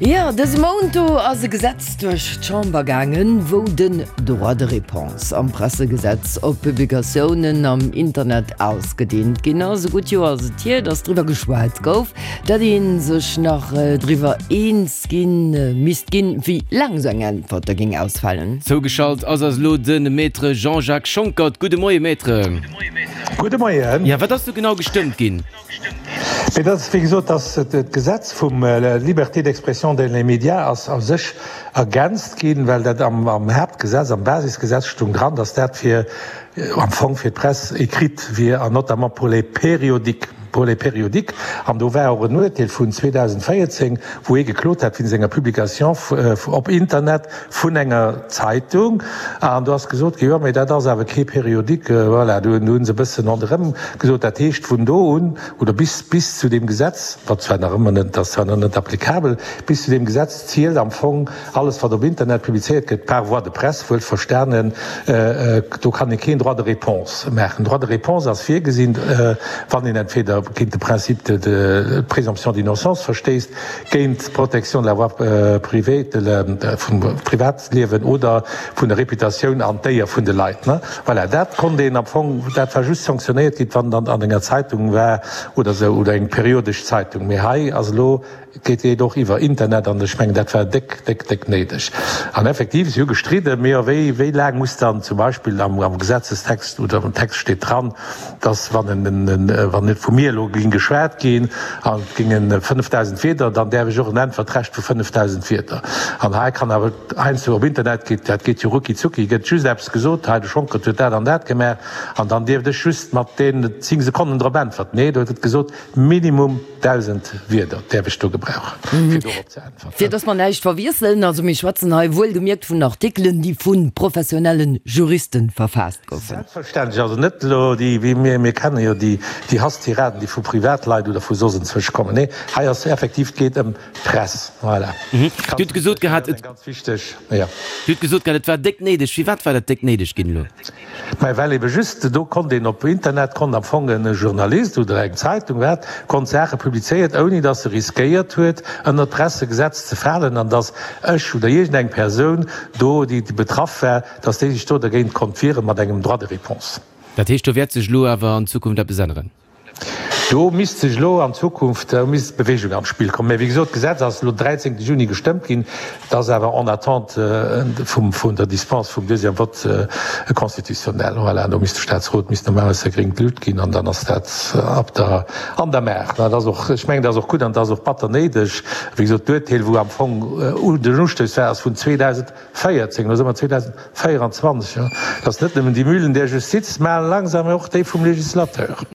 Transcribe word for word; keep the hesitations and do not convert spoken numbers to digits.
Jo, dëse Mount do ass e Gesetz duerch d'Chamber gaangen, wou den Droit de réponse am Pressegesetz op Publikatiounen am Internet ausgedeent ginn ass. E gutt Joer ass et hier, datt driwwer geschwat gouf, datt ee sech nach driwwer eens ginn misst ginn, wéi laang esou eng Äntwert da géing ausfalen. Zougeschalt ass eis elo de Maître Jean-Jacques Schonckert. Gudde Moie Maître. Gudde Moien. Jo, wat ass do genau gestëmmt ginn? Mee dat ass, wéi gesot, dass d'Gesetz vum Liberté d'expression dans les médias ass a sech ergänzt ginn, well dat am Haaptgesetz, am Basisgesetz stung dran, dass dat fir am Fong fir d'Presse écrite wier an notamment pour les périodiques, pour les périodiques. An do war och en Uerteel vun zweedausendvéierzéng, wou ee geklot hat wéinst enger Publication op Internet vun enger Zeitung. An do ass gesot ginn, jo, mee dat ass awer kee Périodique. Voilà, do hu se e bëssen ronderëm gesot. Dat heescht, vun do un, oder bis, bis zu deem Gesetz, wat zwar nach ëmmer net, dat ass zwar nach net applicabel, bis zu deem Gesetz zielt am Fong alles, wat op Internet publizéiert gëtt, par voie de presse wuelverstanen, do kann ee keen Droit de réponse maachen. Droit de réponse ass virgesinn, wann een entweder géint de Principe de, de présomption d'innocence verstéisst, géint d'Protection de la voie privée, de la, vum Privatliewen oder vun der Reputatioun an d'Éier vun de Leit. Voilà, dat konnt een am Fong, dat war just sanktionéiert ginn, wann dann an enger Zeitung war oder esou, oder eng periodesch Zeitung. Mee hei ass elo, geet et och iwwer Internet an ech mengen, dat war déck, déck, déck néideg. An effektiv, si hu gestridden, mee jo, wéi, wéi laang muss dann zum Beispill am, am Gesetzestext oder am Text steet dran, dass wann en, en, wann net vu mir elo géing geschwat ginn an et géingen fënnefdausend Wierder, dann däerf ech och en Äntwertrecht vu fënnefdausend Wierder. An hei kann awer heiansdo op Internet geet, dat geet jo rucki zucki, gëtt just eppes gesot, hei de Schonckert huet dat an dat gemaach an dann dierft ech just mat deenen zéng Sekonnen drop äntwerten. Nee, do huet et gesot, minimum dausend Wierder däerf ech do gebrauchen, fir dorop ze äntwerten. Fir dass mer näischt verwiesselen, also mir schwätzen hei wuelgemierkt vun Artikelen, déi vu professionelle Juriste verfaasst goufen. Selbstverständlech, also net elo déi, wéi mir, mir kenne jo déi, déi Hasstiraden, déi vu Privatleit oder vu soss enzwousch kommen. Nee, hei ass effektiv, et geet ëm d'Press. Voilà. Dir hutt gesot gehat, et. Ganz wichteg, jo. Dir hutt gesot gehat, et war déck néideg. Firwat war dat déck néideg ginn elo? Mä well ebe just do konnt een op Internet, konnt am Fong e Journalist oder eng Zeitung, wat, konnt Saache publizéiert, ouni datt e riskéiert huet, ënnert d'Pressegesetz ze falen an datt ech oder iergendeng Persoun do, déi betraff war, datt déi sech do dergéint konnt wiere mat engem Droit de réponse. Dat heescht, do wäert sech elo awer an Zukunft eppes änneren? Do misst sech elo an Zukunft, do misst Bewegung an d'Spill kommen. Mä wéi gesot, d'Gesetz ass elo dräizéngte Juni gestëmmt ginn. Et ass awer en attente vum, vun der Dispense vum deuxième vote constitutionnel. Voilà, do misst de Staatsrot misst normalerweis säi gréngt Luut ginn an dann ass dat ab der, an der Maach. Dat ass och, ech mengen, dat ass och gutt an dat ass och batter néideg. Wéi gesot, d'Urteel, wou am Fong den Ustouss war, ass vun zweedausendvéierzéng. Elo si mer zweedausendvéieranzwanzeg. Dat ass net nëmmen déi Mühlen der Justiz, mä langsam och déi vum Législateur.